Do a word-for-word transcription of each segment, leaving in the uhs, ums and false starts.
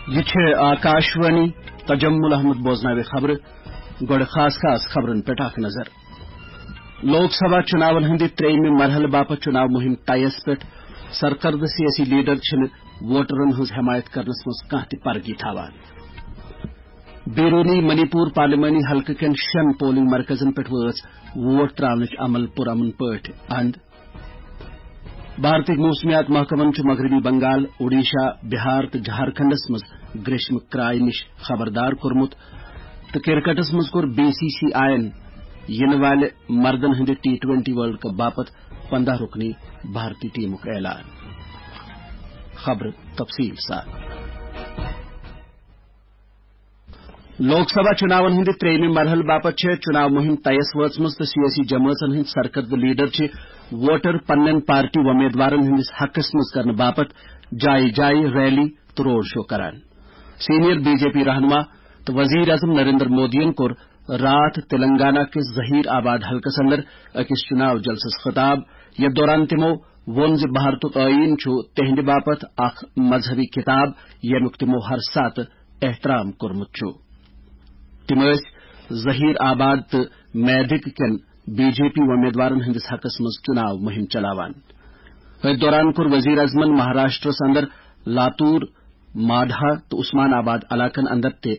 یہِ چھِ آکاشوانی۔ تجمل احمد بوزناوِ خبرٕ۔ گۄڈٕ خاص خاص خبرن پٮ۪ٹھ اکھ نظر۔ لوک سبھا چُناون ہٕنٛدِ ترٛیٚیِمہِ مرحلہٕ باپتھ چُناو مُہِم طیَس پٮ۪ٹھ۔ سرکردٕ سیٲسی لیڈر چھِنہٕ ووٹرن ہٕنٛز حمایت کرنس منٛز کانٛہہ تہِ پرگی تھاوان۔ بیرونی منی پور پارلیمانی حلقہٕ کٮ۪ن شٮ۪ن پولنگ مرکزن پٮ۪ٹھ وٲژ ووٹ تراونٕچ عمل پُرامن پٲٹھۍ اند۔ بھارتٕکۍ موسمیات محکمن چھُ مغربی بنگال، اوڈیشہ، بہار تہٕ جھارکھنڈس منٛز گریشمہٕ کرایہِ نِش خبردار کوٚرمُت تہٕ کرکٹس منٛز کوٚر بی سی سی آئی یَن یِنہٕ والہِ مردن ہٕنٛدِ ٹی ٹوینٹی ورلڈ کپ باپتھ پنٛداہ رُکنی بھارتی ٹیمُک اعلان۔ خبرٕ تفصیل سان۔ لوک سبھا چُناون ہٕنٛدِ ترٛیٚیِمہِ مرحلہٕ باپتھ چھےٚ چُناو مُہِم طیَس وٲژمٕژ تہٕ سیٲسی جمٲژن ہٕنٛدۍ سرکردٕ لیڈر چھِ ووٹر پننٮ۪ن پارٹی وۄمیدوارن ہٕنٛدِس حقس منٛز کرنہٕ باپتھ جایہِ جایہِ ریلی تہٕ روڈ شو کران۔ سینئر بی جے پی رہنما تہٕ وزیر اعظم نریندر مودیَن کوٚر راتھ تلنگانہ کِس ظہیر آباد حلقس اندر أکِس چُناو جلسس خطاب، یتھ دوران تِمو ووٚن زِ بھارتُک ٲییٖن چھُ تِہنٛدِ باپتھ اکھ مذہبی کتاب، ییٚمیُک تِمو ہر ساتہٕ احترام کوٚرمُت چھُ۔ تِم ٲسۍ ظہیر آباد تہٕ میدک کٮ۪ن بی جے پی وۄمیدوارن ہٕنٛدِس حقس منٛز چُناو مُہِم چلاوان۔ أتھۍ دوران کوٚر وزیر اعظمن مہاراشٹرس اندر لاتور، ماڈھا تہٕ عثمان آباد علاقن اندر تہِ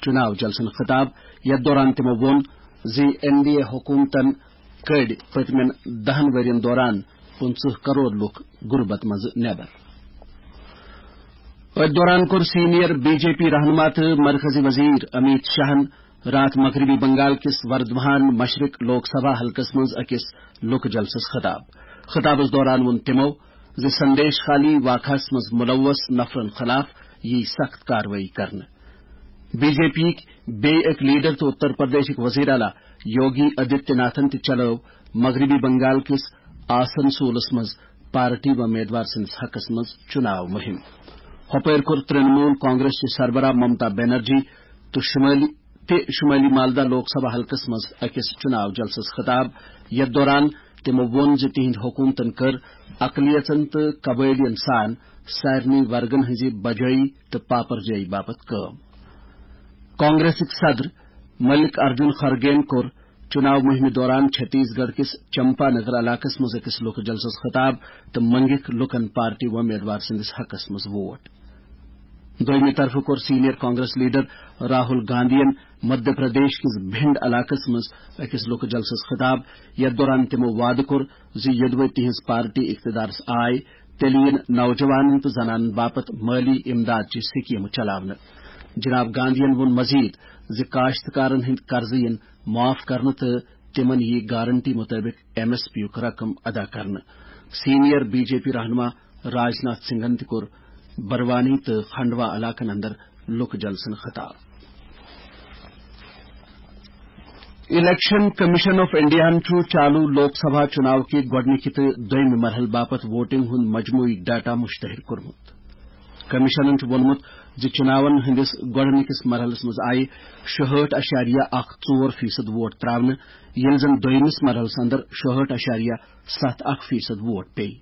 چُناو جلسن خطاب، یتھ دوران تِمو ووٚن زِ این ڈی اے حکومتن کٔڈۍ پٔتمٮ۪ن دَہن ؤرین دوران پٕنٛژٕہ کرور لُکھ غربت منٛز نٮ۪بر۔ أتھۍ دوران کوٚر سینئر بی جے پی رہنما تہٕ مرکزی وزیر امیت شاہن راتھ مغربی بنگال کِس وردھمان مشرق لوک سبھا حلقس منٛز أکِس لُکہٕ جلسس خطاب۔ خطابس دوران ووٚن تِمو زِ سندیش خالی واقعس منٛز ملوث نفرن خلاف یی سخت کاروٲیی کرنہٕ۔ بی جے پی یِکۍ بیٚیہِ أکۍ لیڈر تہٕ اتر پردیشٕکۍ وزیر اعلیٰ یوگی آدتیہ ناتھن تہِ چلٲو مغربی بنگال کِس آسنسولس منٛز پارٹی وۄمیدوار سٕنٛدِس حقس منٛز چُناو مُہِم۔ ہۄپٲرۍ کوٚر ترٛنمول کانگریس چہِ سربراہ ممتا بنرجی تہٕ شمٲلی، تہِ شمٲلی مالدہ لوک سبھا حلقس منٛز أکِس چُناو جلسس خطاب، یتھ دوران تِمو ووٚن زِ تِہنٛدِ حکومتن کٔر اقلیژن تہٕ قبٲئلین سان سارنٕے ورگن ہٕنٛزِ بجٲیی تہٕ پاپرجٲیی باپتھ کٲم۔ کانگریسٕکۍ صدر ملک ارجن خرگین کوٚر چُناو مُہِمہِ دوران چھتیس گڑھ کِس چمپا نگر علاقس منٛز أکِس لُکہٕ جلسس خطاب تہٕ منٛگِکھ لُکن پارٹی وۄمیدوار سٕنٛدِس حقس منٛز ووٹ۔ دوٚیمہِ طرفہٕ کوٚر سینئر کانگریس لیڈر راہل گاندھین مدھیہ پردیش کِس بھنڈ علاقس منٛز أکِس لُکہٕ جلسس خطاب، یتھ دوران تِمو وعدٕ کوٚر زِ یوٚدوَے تِہنٛز پارٹی اقتدارس آیہِ، تیٚلہِ یِن نوجوانن تہٕ زنانن باپتھ مٲلی امداد چہِ سکیمہٕ چلاونہٕ۔ جناب گاندھین ووٚن مزید زِ کاشتکارن ہٕنٛدۍ قرضہٕ یِن معاف کرنہٕ تہٕ تِمن یِیہِ گارنٹی مُطٲبِق ایم ایس پی یُک رقم ادا کرنہٕ۔ سینئر بی جے پی رہنما راجناتھ سنگھن تہِ کوٚر بروانی تہٕ کھنڈوا علاقن اندر لُکہٕ جلسن خطاب۔ الیکشن کمیشن آف انڈیاہن چھُ چالو لوک سبھا چُناو کہِ گۄڈٕنِکہِ تہٕ دوٚیمہِ مرحلہٕ باپتھ ووٹنگ ہُنٛد مجموعی ڈیٹا مشتہر کوٚرمُت۔ کمیشنن چھُ ووٚنمُت زِ چُناون ہٕنٛدِس گۄڈٕنِکِس مرحلس منٛز آیہِ شُہٲٹھ اَشاریہ اَکھ ژور فیصد ووٹ تراونہٕ، ییٚلہِ زن دوٚیمِس مرحلس اندر شُہٲٹھ اَشاریہ سَتھ اَکھ فیصد ووٹ پیٚیہِ۔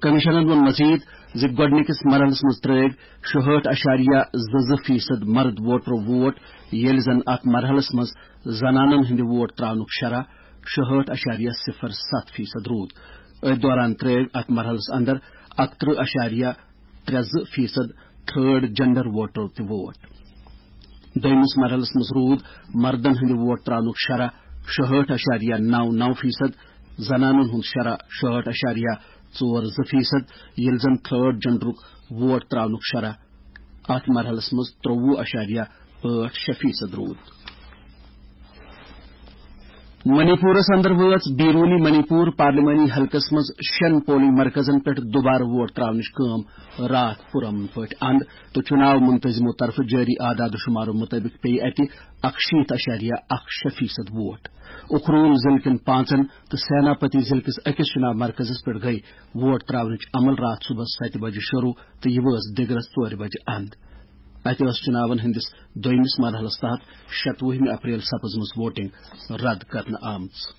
کمیشنن ووٚن مزید زِ گۄڈٕنِکِس مرحلس منٛز ترٲوۍ شُہٲٹھ اَشاریہ زٕ زٕ فیصد مرد ووٹرو ووٹ، ییٚلہِ زن اتھ مرحلس منٛز زنانن ہٕنٛدِ ووٹ تراونُک شرح شُہٲٹھ اَشاریہ صفر سَتھ فیصد روٗد۔ أتھۍ دوران ترٲوۍ اتھ مرحلس اندر اَکترٕہ اَشاریہ ترٛےٚ زٕ فیصد تھرڈ جینڈر ووٹرو تہِ ووٹ۔ دوٚیمِس مرحلس منٛز روٗد مردن ہٕنٛدِ ووٹ تراونُک شرح شُہٲٹھ اَشاریہ نَو نَو فیصد، زنانن ہُنٛد شرح شُہٲٹھ اَشاریہ ژور زٕ فیصد، ییٚلہِ زن تھرڈ جینڈرُک ووٹ تراونُک شرح اتھ مرحلس منٛز ترٛوٚوُہ اَشاریہ ٲٹھ شےٚ فیصد روٗد۔ منی پورس اندر وٲژ بیرونی منی پور پارلیمانی حلقس منٛز شٮ۪ن پولنگ مرکزن پٮ۪ٹھ دوبارٕ ووٹ تراونٕچ کٲم راتھ پُرامن پٲٹھۍ اند تہٕ چُناو منتظمو طرفہٕ جٲری اعداد و شمارو مُطٲبِق پیٚیہِ اتہِ اَکشیٖتھ اَشاریہ اَکھ شےٚ فیصد ووٹ۔ اُکھروٗل ضلعہٕ کٮ۪ن پانٛژن تہٕ سیناپتی ضلعہٕ کِس أکِس چُناو مرکزس پٮ۪ٹھ گٔیہِ ووٹ تراونٕچ عمل راتھ صبحس ستہِ بجہِ شروع تہٕ یہِ وٲژ دِگرس ژورِ بجہِ اند۔ اتہِ ٲس چُناون ہٕنٛدِس دوٚیمِس مرحلس تحت شَتوُہمہِ اپریل سپٕزمٕژ ووٹنگ رد کرنہٕ آمٕژ۔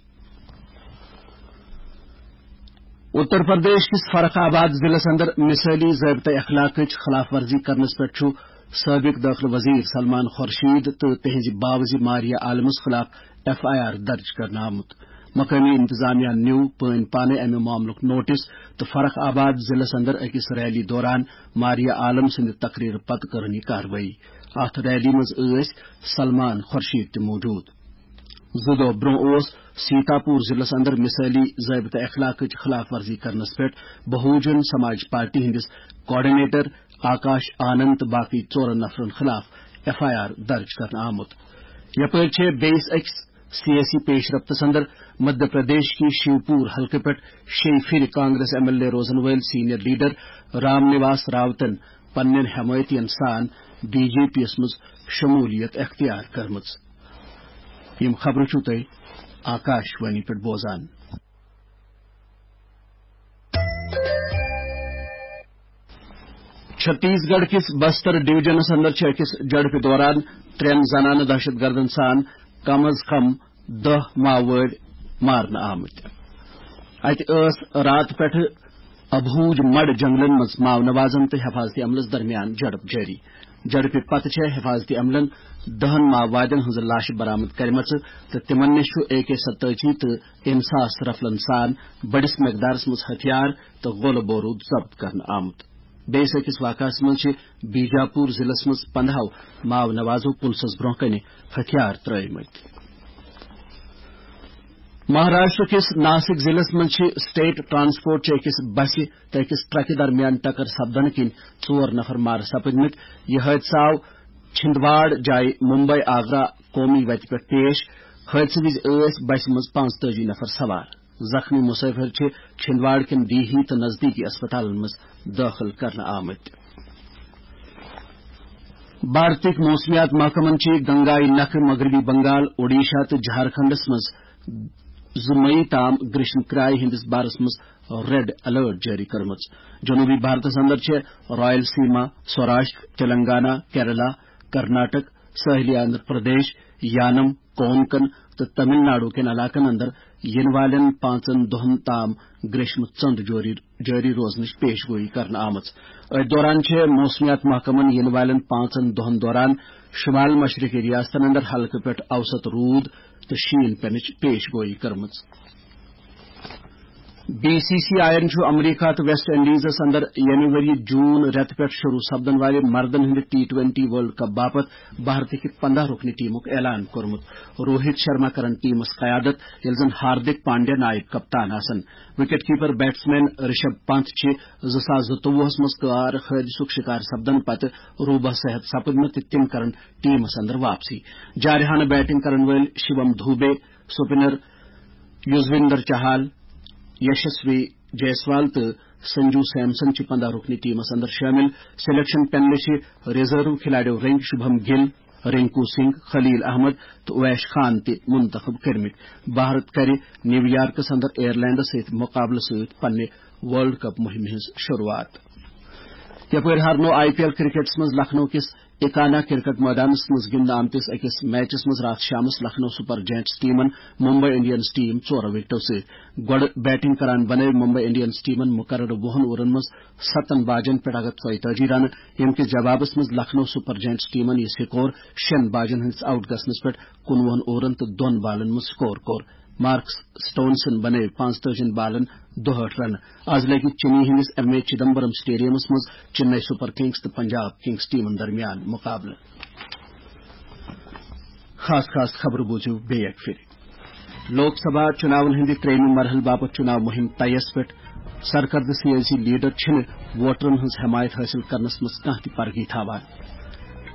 اتر پردیش کِس فرخ آباد ضلعس اندر مثٲلی ضٲبطہ اخلاقٕچ خلاف ورزی کرنس پٮ۪ٹھ چھُ سٲبِق دٲخلہٕ وزیر سلمان خورشید تہٕ تِہنٛزِ باوزِ ماریا عالمس خلاف ایف آئی آر درج کرنہٕ آمُت۔ مقٲمی انتظامیہ نیوٗ پٲنۍ پانے امہِ معاملُک نوٹس تہٕ فرخ آباد ضلعس اندر أکِس ریلی دوران ماریا عالم سٕنٛدِ تقریر پتہٕ کٔرٕن یہِ کاروٲیی۔ اتھ ریلی منٛز ٲسۍ سلمان خورشید تہِ موجود۔ زٕ دۄہ برونٛہہ اوس سیتاپور ضلعس اندر مثٲلی ضٲبطہٕ اخلاقٕچ خلاف ورزی کرنس پٮ۪ٹھ بہوجن سماج پارٹی ہٕنٛدِس کوآرڈینیٹر آکاش آنند تہٕ باقٕے ژورن نفرن خلاف ایف آئی آر درج کرنہٕ آمُت۔ یپٲرۍ چھِ بیٚیِس أکِس سیٲسی پیش رفتس اندر مدھیہ پردیش کہِ شیوپور حلقہٕ پٮ۪ٹھ شیٚیہِ پھِرِ کانگریس ایم ایل اے روزن وٲلۍ سینئر لیڈر رام نواس راوتن پننٮ۪ن حمایتین سان بی جے پی یس منٛز شمولیت اختیار کٔرمٕژ۔ یِم خبرٕ چھِو تُہۍ آکاش وانی پٮ۪ٹھ بوزان۔ چھتیس گڑھ کِس بستر ڈویژنس اندر چھِ أکِس جھڑپہِ دوران ترٛٮ۪ن زنانہٕ دہشت گردن سان کم از کم دَہ ماوٲرۍ مارنہٕ آمٕتۍ۔ اتہِ ٲس راتہٕ پٮ۪ٹھٕ ابہوج مڑ جنگلن منٛز ماو نوازن تہٕ حفاظتی عملس درمیان جھڑپ جٲری۔ جھڑپہِ پتہٕ چھےٚ حفاظتی عملن دَہن ماوادن ہٕنٛز لاشہٕ برآمد کرِمژٕ تہٕ تِمن نِش چھُ اے کے ستٲجی تہٕ انساس رفلن سان بٔڑِس مقدارس منٛز ہتھیار تہٕ گولہٕ بوروٗد ضبط کرنہٕ آمُت۔ بیٚیِس أکِس واقعس منٛز چھِ بیجاپوٗر ضلعس منٛز پنٛداہو ماو نوازو پُلسس برٛونٛہہ کنہِ ہتھیار ترٲومٕتۍ۔ مہاراشٹر کِس ناسِک ضلعس منٛز چھِ اسٹیٹ ٹرانسپورٹ چہِ أکِس بسہِ تہٕ أکِس ٹرکہِ درمیان ٹکر سپدنہٕ کِنۍ ژور نفر مارٕ سپٕدمٕتۍ۔ یہِ حٲدثہٕ آو چھندواڑ جایہِ ممبئی آگرہ قومی وتہِ پٮ۪ٹھ پیش۔ حٲدثہٕ وِزِ ٲسۍ بسہِ منٛز پانٛژتٲجی نفر سوار۔ زخمی مسافر چھِ چھندواڑ کٮ۪ن دیہی تہٕ نزدیٖکی اسپتالن منٛز دٲخل کرنہٕ آمٕتۍ۔ بھارتٕکۍ موسمیات محکمن چھِ گنگایہِ نکھٕ مغربی بنگال، اوڈیشہ تہٕ جھارکھنڈس منٛز زٕ مئی تام گریشم کرایہِ ہٕنٛدِس بارس منٛز ریڈ الرٹ جٲری کٔرمٕژ۔ جنوبی بھارتس اندر چھِ رائل سیما، سوراشٹر، تلنگانہ، کیرلا، کرناٹک، ساحلی آندھرا پردیش، یانم، کونکن تہٕ تمل ناڈو کٮ۪ن علاقن اندر یِنہٕ والٮ۪ن پانٛژن دۄہن تام گریشمہٕ ژٔنٛد جٲری، جٲری روزنٕچ پیش گویی کرنہٕ آمٕژ۔ أتھۍ دوران چھِ موسمیات محکمن یِنہٕ والٮ۪ن پانٛژن دۄہن دوران شمال مشرقی ریاستن اندر ہلکہٕ پٮ۪ٹھ اوسط روٗد تہٕ شیٖن پینٕچ پیش گویی کٔرمٕژ۔ بی سی سی آیَن چھُ امریکہ تہٕ ویسٹ انڈیزس اندر ییٚمہِ ؤرۍ یہِ جون رٮ۪تہٕ پٮ۪ٹھ شروع سپدن والہِ مردن ہٕنٛدِ ٹی ٹوینٹی ورلڈ کپ باپتھ بھارتٕکہِ پنداہ رُکنہِ ٹیمُک اعلان کوٚرمُت۔ روہت شرما کرن ٹیمس قیادت، ییٚلہِ زن ہاردک پانڈیا نائب کپتان آسن۔ Wicket keeper batsman Rishabh Pant چھِ زٕ ساس زٕتووُہس منٛز کار حٲدثُک شکار سپدن پتہٕ روبہ صحت سپٕدمٕتۍ تہٕ تِم کرن ٹیمس اندر واپسی۔ جارحانہ بیٹنگ کرن وٲلۍ شیوم دوبے، سپنر یوزویندر چہال، یشسوی جیسوال تہٕ سنجو سیمسن چھِ پنداہ رُکنہِ ٹیمس اندر شٲمِل۔ سلیکشن پینلہِ چھِ ریزرو کھلاڑیو رٔنگۍ شبھم گل، رنکو سنگھ، خلیل احمد تہٕ اویش خان تہِ منتخب کٔرمٕتۍ۔ بھارت کرِ نیو یارکس اندر آیرلینڈس سۭتۍ مقابلہٕ سۭتۍ پننہِ ورلڈ کپ مُہِمہِ ہٕنٛز شروٗعات۔ یپٲرۍ ہارنو آئی پی ایل کرکٹس منٛز لکھنؤ کِس اکانا کرکٹ مٲدانس منٛز گِنٛدنہٕ آمتِس أکِس میچس منٛز راتھ شامس لکھنؤ سپر جائنٹس ٹیمن ممبئی انڈینز ٹیم ژورو وکٹو سۭتۍ۔ گۄڈٕ بیٹنگ کران بنٲو ممبئی انڈینز ٹیمن مقررٕ وُہن اوورن منٛز ستن باجن پٮ۪ٹھ اکھ ہتھ ژۄیتٲجی رنہٕ، ییٚمہِ کِس جوابس منٛز لکھنؤ سپر جائنٹس ٹیمن یہِ سکور شیٚن باجن ہٕنٛدِس آؤٹ گژھنس پٮ۪ٹھ کُنوُہن اوورن تہٕ دۄن بالن منٛز سکور کوٚر۔ مارکس سٹونسن بنٲوۍ پانٛژتٲجی بالن دُہٲٹھ رنہٕ۔ از لگہِ چنئی ہٕنٛدِس ایم اے چدمبرم سٹیڈیمس منٛز چنئی سپر کنگز تہٕ پنجاب کنگز ٹیمن درمیان مقابلہٕ۔ خاص خاص خبرٕ بوٗزِو بیٚیہِ اکہِ پھِرِ۔ لوک سبھا چُناون ہٕنٛدِ ترٛیٚیِمہِ مرحلہٕ باپتھ چُناو مُہِم طیَس پٮ۪ٹھ۔ سرکردٕ سیٲسی لیڈر چھِنہٕ ووٹرن ہٕنٛز حمایت حٲصِل کرنس منٛز کانٛہہ تہِ پرگی تھاوان۔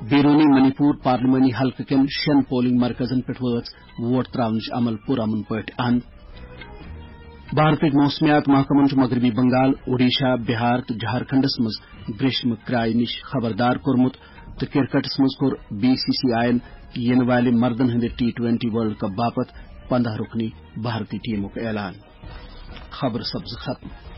بیرونی منی پور پارلیمانی حلقہٕ کٮ۪ن شٮ۪ن پولنگ مرکزن پٮ۪ٹھ وٲژ ووٹ تراونٕچ عمل پُرامن پٲٹھۍ اند۔ بھارتٕکۍ موسمیات محکمن چھُ مغربی بنگال، اوڈیشہ، بہار تہٕ جھارکھنڈس منٛز گریشمہٕ کرایہِ نِش خبردار کوٚرمُت تہٕ کرکٹس منٛز کوٚر بی سی سی آیَن یِنہٕ والہِ مردن ہٕنٛدِ ٹی ٹوینٹی ورلڈ کپ باپتھ پنداہ رُکنی بھارتی ٹیمُک اعلان۔ خبرٕ سپزٕ ختم۔